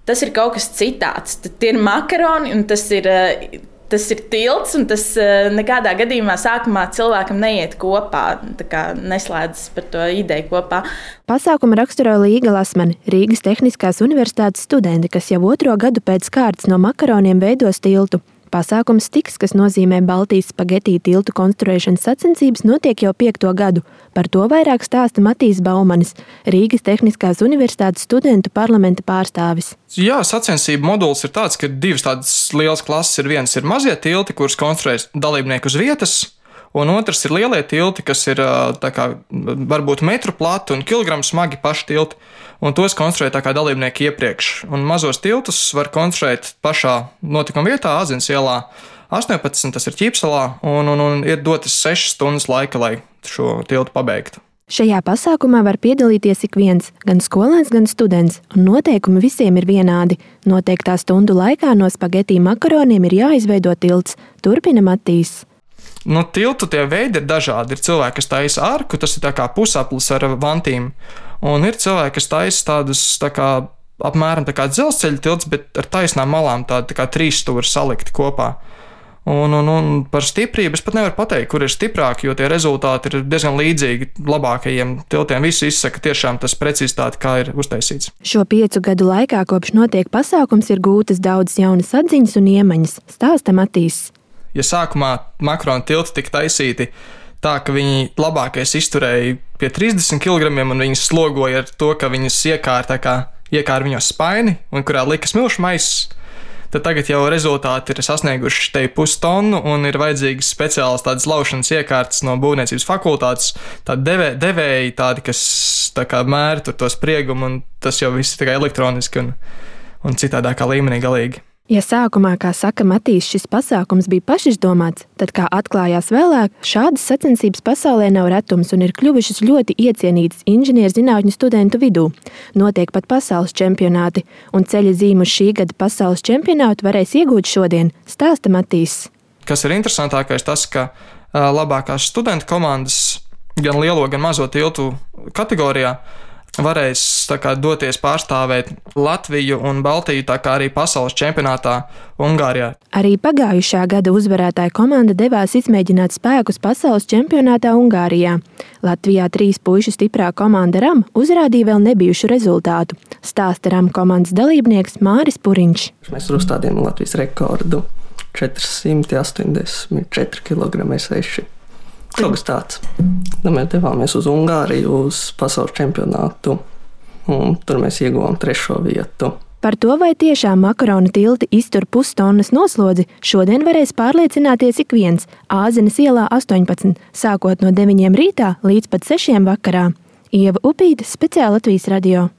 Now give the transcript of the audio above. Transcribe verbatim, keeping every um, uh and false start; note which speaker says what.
Speaker 1: tas ir kaut kas citāds. Tad tie ir makaroni, un tas ir, tas ir tilts, un tas nekādā gadījumā sākumā cilvēkam neiet kopā, tā kā neslēdzas par to ideju kopā.
Speaker 2: Pasākumu raksturo Līga Lasmane, Rīgas Tehniskās universitātes studenti, kas jau otro gadu pēc kārtas no makaroniem veidos tiltu. Pasākums Tiks, kas nozīmē Baltijas spagetī tiltu konstruēšanas sacensības, notiek jau piekto gadu. Par to vairāk stāsta Matīs Baumanis, Rīgas Tehniskās universitātes studentu parlamenta pārstāvis.
Speaker 3: Jā, sacensību moduls ir tāds, ka divas tādas lielas klases ir. Viens ir mazie tilti, kurus konstruēs dalībnieki uz vietas, un otrs ir lielie tilti, kas ir tā kā varbūt metru plati un kilogramu smagi paši tilti. Un tos konstruē tā kā dalībnieki iepriekš. Un mazos tiltus var konstruēt pašā notikuma vietā, Āzenes ielā astoņpadsmit, tas ir Ķīpsalā, un, un, un ir dotas sešas stundas laika, lai šo tiltu pabeigtu.
Speaker 2: Šajā pasākumā var piedalīties ik viens, gan skolēns, gan students, un noteikumi visiem ir vienādi. Noteiktā stundu laikā no spagetī makaroniem ir jāizveido tilts, turpina Matīs.
Speaker 3: Nu, tiltu tie veidi ir dažādi. Ir cilvēki, kas taisa arku, tas ir tā kā pusaplis ar vantīm. Un ir cilvēki, kas taisa tādus tā kā apmēram tā kā dzelzceļa tilts, bet ar taisnām malām tādi tā kā trīs stūri salikti kopā. Un, un, un par stiprību es pat nevaru pateikt, kur ir stiprāki, jo tie rezultāti ir diezgan līdzīgi labākajiem tiltiem. Visi izsaka tiešām tas precizitāti, kā ir uztaisīts.
Speaker 2: Šo piecu gadu laikā, kopš notiek pasākums, ir gūtas daudzas jaunas atziņas un iemaņas, stāsta Matīs.
Speaker 3: Ja sākumā makaronu tilti tika taisīti tā, ka viņi labākais izturēja pie trīsdesmit kilogramiem un viņas slogoja ar to, ka viņas iekāra tā kā iekāra viņos spaini un kurā lika smilšu maisus, tad tagad jau rezultāti ir sasnieguši te pustonu un ir vajadzīgas speciālas tādas laušanas iekārtas no būvniecības fakultātes, tādi devē, devēji, tādi, kas tā kā mēra tur to spriegumu, un tas jau viss ir tikai elektroniski un, un citādākā līmenī galīgi.
Speaker 2: Ja sākumā, kā saka Matīs, šis pasākums bija pašizdomāts, tad, kā atklājās vēlāk, šādas sacensības pasaulē nav retums un ir kļuvušas ļoti iecienītas inženierzinātņu studentu vidū. Notiek pat pasaules čempionāti, un ceļa zīmu uz šī gada pasaules čempionātu varēs iegūt šodien, stāsta Matīs.
Speaker 3: Kas ir interesantākais tas, ka labākās studentu komandas gan lielo, gan mazo tiltu kategorijā varēs tā kā doties pārstāvēt Latviju un Baltiju, tā kā arī pasaules čempionātā Ungārijā.
Speaker 2: Arī pagājušā gada uzvarētāja komanda devās izmēģināt spēkus pasaules čempionātā Ungārijā. Latvijā trīs puišu stiprā komanda RAM uzrādīja vēl nebijušu rezultātu, stāsta RAM komandas dalībnieks Māris Puriņš.
Speaker 4: Mēs uzstādījām Latvijas rekordu četri astoņdesmit četri kilogrami seši. Kaut kas tāds. Mēs devāmies uz Ungāriju, uz pasaules čempionātu, un tur mēs ieguvām trešo vietu.
Speaker 2: Par to, vai tiešām makaronu tilti iztur pustonnas noslodzi, šodien varēs pārliecināties ik viens Āzenes ielā astoņpadsmit, sākot no deviņiem rītā līdz pat sešiem vakarā. Ieva Upīte, Speciāli Latvijas radio.